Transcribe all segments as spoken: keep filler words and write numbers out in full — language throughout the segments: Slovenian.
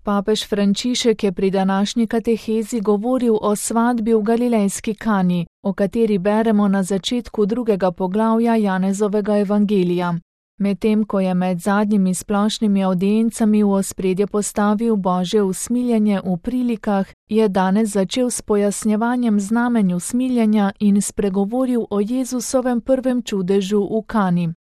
Papež Frančišek je pri današnji katehezi govoril o svadbi v galilejski Kani, o kateri beremo na začetku drugega poglavja Janezovega evangelija. Medtem ko je med zadnjimi splošnimi avdiencami v ospredje postavil Božje usmiljenje v prilikah, je danes začel s pojasnjevanjem znamenj usmiljenja in spregovoril o Jezusovem prvem čudežu v Kani.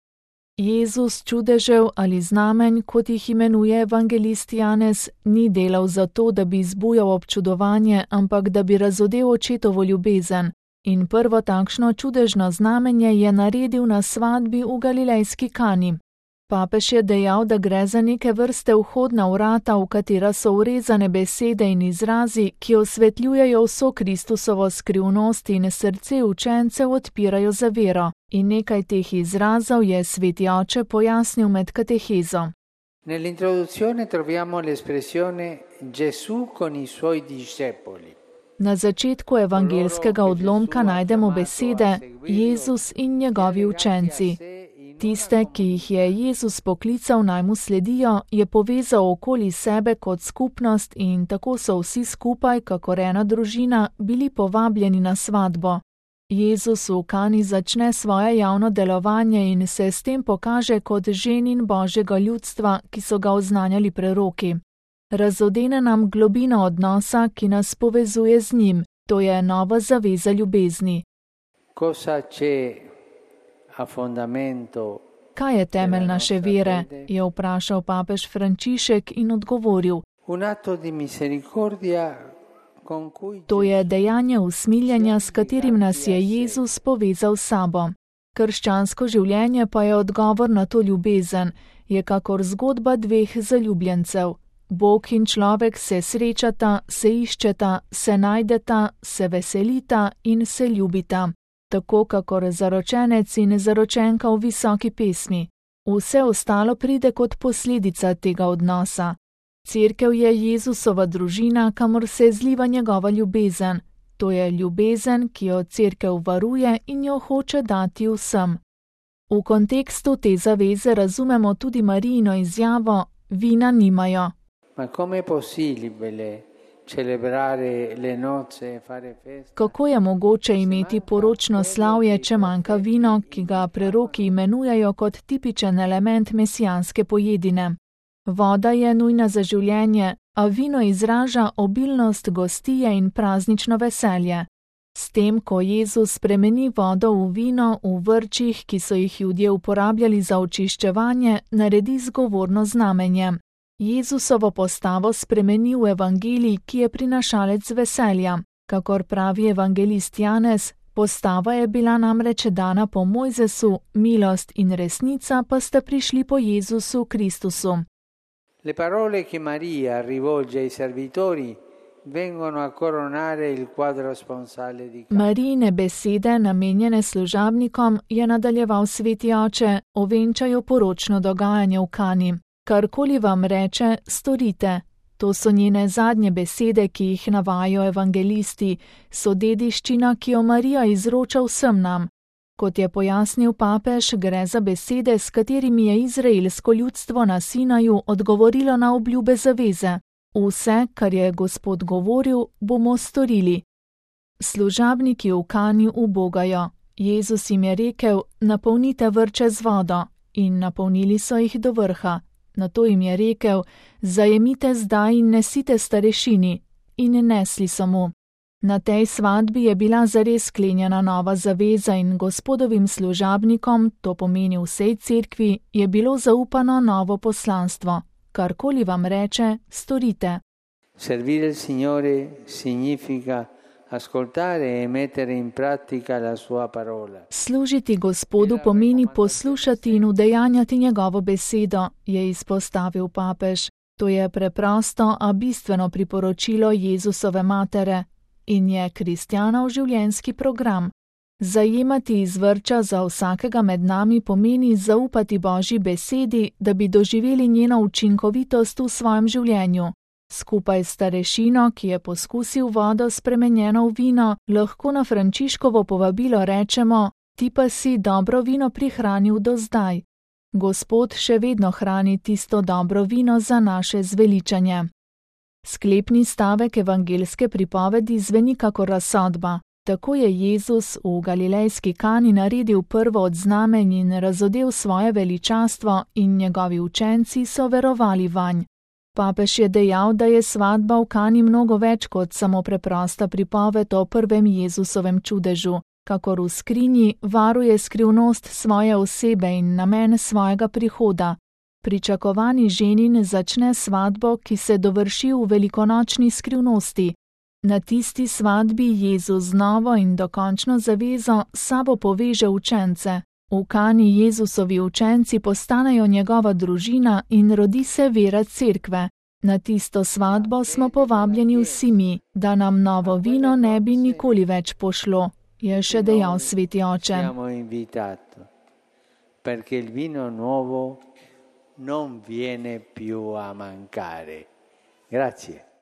Jezus čudežev ali znamenj, kot jih imenuje evangelist Janez, ni delal zato, da bi zbujal občudovanje, ampak da bi razodel očetovo ljubezen. In prvo takšno čudežno znamenje je naredil na svadbi v galilejski Kani. Papež je dejal, da gre za neke vrste vhodna vrata, v katera so vrezane besede in izrazi, ki osvetljujejo vso Kristusovo skrivnost in srce učencev odpirajo za vero. In nekaj teh izrazov je sveti oče pojasnil med katehezo. Nell'introduzione troviamo l'espressione Gesù con i suoi discepoli. Na začetku evangelskega odlomka najdemo besede Jezus in njegovi učenci. Tiste, ki jih je Jezus poklical naj mu sledijo, je povezal okoli sebe kot skupnost in tako so vsi skupaj, kakor ena družina, bili povabljeni na svadbo. Jezus v Kani začne svoje javno delovanje in se s tem pokaže kot ženin Božjega ljudstva, ki so ga oznanjali preroki. Razodene nam globino odnosa, ki nas povezuje z njim, to je nova zaveza ljubezni. Cosa c'è a fondamento? Kaj je temelj naše vere, je vprašal papež Frančišek in odgovoril. Un atto di misericordia con cui To je dejanje usmiljenja, s katerim nas je Jezus povezal s sabo. Krščansko življenje pa je odgovor na to ljubezen, je kakor zgodba dveh zaljubljencev. Bog in človek se srečata, se iščeta, se najdeta, se veselita in se ljubita. Tako kakor zaročenec in zaročenka v visoki pesmi. Vse ostalo pride kot posledica tega odnosa. Cerkev je Jezusova družina, kamor se zliva njegova ljubezen. To je ljubezen, ki jo cerkev varuje in jo hoče dati vsem. V kontekstu te zaveze razumemo tudi Marijino izjavo: vina nimajo. Ma come è possibile celebrare le nozze e fare festa? Kako je mogoče imeti poročno slavje, če manjka vino, ki ga preroki imenujejo kot tipičen element mesijanske pojedine? Voda je nujna za življenje, a vino izraža obilnost gostije in praznično veselje. S tem, ko Jezus spremeni vodo v vino v vrčih, ki so jih Judje uporabljali za očiščevanje, naredi zgovorno znamenje. Jezusovo postavo spremeni v evangelij, ki je prinašalec veselja. Kakor pravi evangelist Janez, postava je bila namreč dana po Mojzesu, milost in resnica pa sta prišli po Jezusu Kristusu. Le parole che Maria rivolge ai servitori vengono a coronare il quadro sponsale di Cana. Marijine besede, namenjene služabnikom, je nadaljeval sveti oče, ovenčajo poročno dogajanje v Kani. Karkoli vam reče, storite. To so njene zadnje besede, ki jih navajajo evangelisti, so dediščina, ki jo Marija izroča vsem nam. Kot je pojasnil papež, gre za besede, s katerimi je izraelsko ljudstvo na Sinaju odgovorilo na obljube zaveze. Vse, kar je Gospod govoril, bomo storili. Služabniki v Kani ubogajo. Jezus jim je rekel: napolnite vrče z vodo. In napolnili so jih do vrha. Nato jim je rekel: zajemite zdaj in nesite starešini. In nesli so mu. Na tej svadbi je bila zares sklenjena nova zaveza in Gospodovim služabnikom, to pomeni vsej cerkvi, je bilo zaupano novo poslanstvo. Karkoli vam reče, storite. Servire il Signore significa ascoltare e mettere in pratica la sua parola. Služiti Gospodu pomeni poslušati in udejanjati njegovo besedo, je izpostavil papež. To je preprosto, a bistveno priporočilo Jezusove matere in je kristjanov življenjski program. Zajemati iz vrča za vsakega med nami pomeni zaupati Božji besedi, da bi doživeli njeno učinkovitost v svojem življenju. Skupaj s starešino, ki je poskusil vodo spremenjeno v vino, lahko na Frančiškovo povabilo rečemo: ti pa si dobro vino prihranil do zdaj. Gospod še vedno hrani tisto dobro vino za naše zveličanje. Sklepni stavek evangeljske pripovedi zveni kakor razsodba. Tako je Jezus v galilejski Kani naredil prvo od znamenj in razodel svoje veličastvo in njegovi učenci so verovali vanj. Papež je dejal, da je svatba v Kani mnogo več kot samo preprosta pripoved o prvem Jezusovem čudežu, kakor v skrinji varuje skrivnost svoje osebe in namen svojega prihoda. Pričakovani ženin začne svatbo, ki se dovrši v velikonočni skrivnosti. Na tisti svatbi Jezus z novo in dokončno zavezo s sabo poveže učence. V Kani Jezusovi učenci postanejo njegova družina in rodi se vera cerkve. Na tisto svatbo smo povabljeni vsi mi, da nam novo vino ne bi nikoli več pošlo, je še dejal sveti oče. Perché il vino nuovo non viene più a mancare. Grazie.